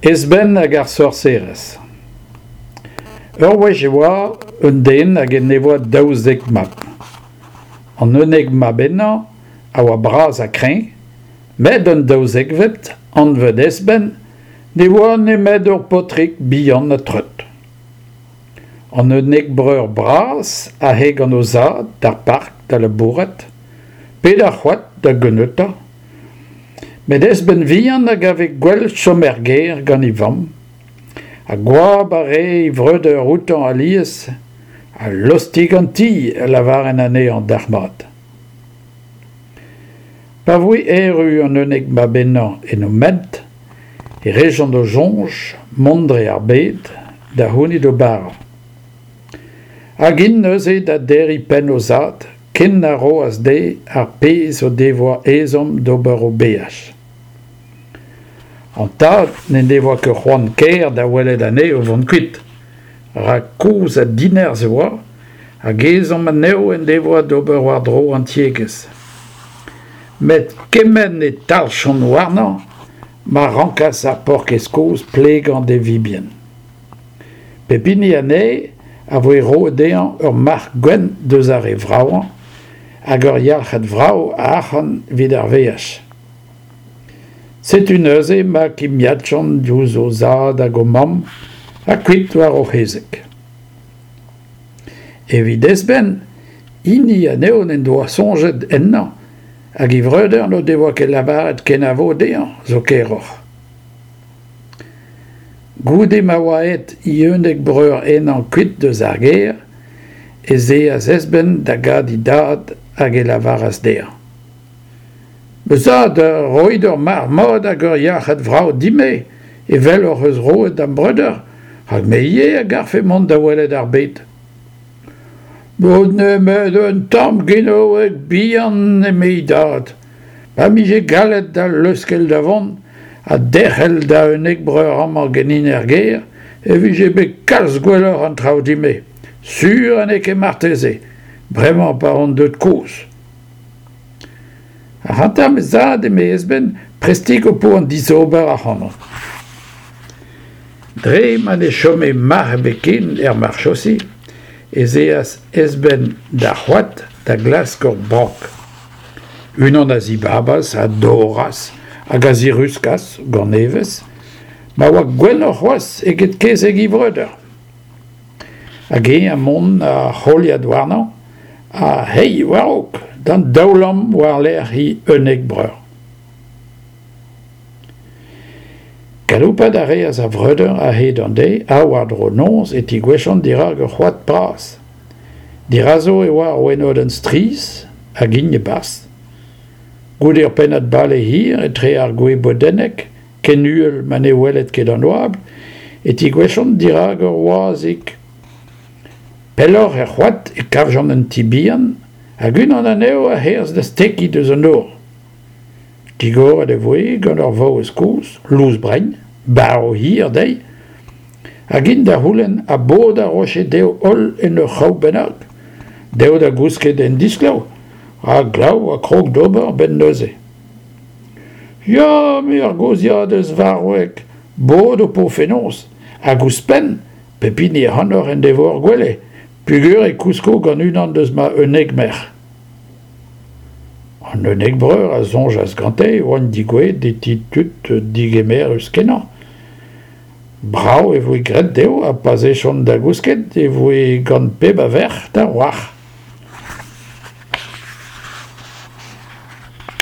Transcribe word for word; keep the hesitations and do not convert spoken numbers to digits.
Ezben hag ar sorserez. Ur wech e oa un den hag en devoa daouzek mab. An unnek mab henañ a oa bras ha kreñv, met an daouzekvet, anvet Ezben, ne oa nemet ur paotrig bihan ha treut. An unnek breur bras a ae gant o zad d'ar park da labourat, pe d'ar c'hoad da geuneuta. Met Ezben vihan a gave gwell chom er gêr gant e vamm, ha goap a rae e vreudeur outañ alies, ha lostig an ti a lavarent anezhañ dalc'hmat. Pa voe erru an unnek mab henañ en o ment, e rejont o soñj mont dre ar bed da c'hounit o bara. Hag int neuze da derriñ penn o zad, ken na roas dezhe ar pezh o devoa ezhomm d'ober o beaj. An tad n'en devoa ket c'hoant kaer da welet anezho o vont kuit, rak kozh ha dinerzh e oa, hag ezhomm anezho en devoa d'ober war-dro an tiegezh. Met kement e talc'hjont warnañ ma rankas ar paourkaezh kozh plegañ d'e vibien. Pep hini anezhe a voe roet dezhañ ur marc'h gwenn deus ar re vravañ hag ur yalc'had vrav a arc'hant evit ar veaj. Setu neuze ma kimiadjont diouzh o zad hag o mamm ha kuit war o c'hezeg. Evit Ezben, hini anezho n'en doa soñjet ennañ hag e vreudeur n'o devoa ket lavaret kenavo dezhañ zo keroc'h. Goude ma oa aet e unnek breur henañ kuit eus ar gêr, ez eas Ezben da gavout e dad hag e lavaras dezhañ. Ma zad, roit ur marc'h mat hag ur yalc'had vrav din-me, evel hoc'h eus roet da'm breudeur, rak me ivez a garfe mont da welet ar bed. N'out nemet un tamm genaoueg bihan, eme e dad, ma 'mije gallet da leuskel da vont ha derc'hel da unnek breur amañ ganin er gêr, e vije bet kalz gwelloc'h an traoù din-me, sur ha n'eo ket marteze, bremañ pa on deuet kozh. Ac'hanta ma zad, eme Ezben, prestik ho po an dizober ac'hanon. Dre ma ne chome marc'h ebet ken er marchosi, ez eas Ezben d'ar c'hoad da glask ur brank. Unan a zibabas, a dorras hag a ziruskas, gant evezh, ma oa gwelloc'h c'hoazh eget kezeg e vreudeur. Hag eñ ha mont a-c'haoliad warnañ, ha hei war-raok, d'an daoulamm war-lerc'h e unnek breur. Galoupat a reas ar vreudeur a-hed an deiz ha war-dro noz e tegouezhjont dirak ur c'hoad bras. Dirazo e oa ur wenodenn strizh hag int e-barzh. Goude ur pennad bale hir etre ar gwez bodennek, ken uhel ma ne weled ket an oabl, e tegouezhjont dirak ur wazhig. Pelloc'h er c'hoad e kavjont un ti bihan hag unan anezho a c'herzh da stekiñ deus an nor. Digoret e voe gant ur vaouez kozh, lous-brein, barv hir dezhi, hag int da c'houlenn ha bod a roje dezho holl en ur c'hraou bennak, dezho da gousket en disglav, rak glav a krog d'ober a-benn neuze. Ya, eme ar gozhiadez varvek, bod ho po fenoz, hag ouzhpenn, pep hini ac'hanoc'h en devo ur gwele, peogwir e kousko gant unan deus ma unnek merc'h. An unnek breur a soñjas gante e oant degouezhet e ti tud digemerus-kenañ. Brav e voe graet dezho ha pa'z ejont da gousket e voe gant pep a verc'h da wrac'h.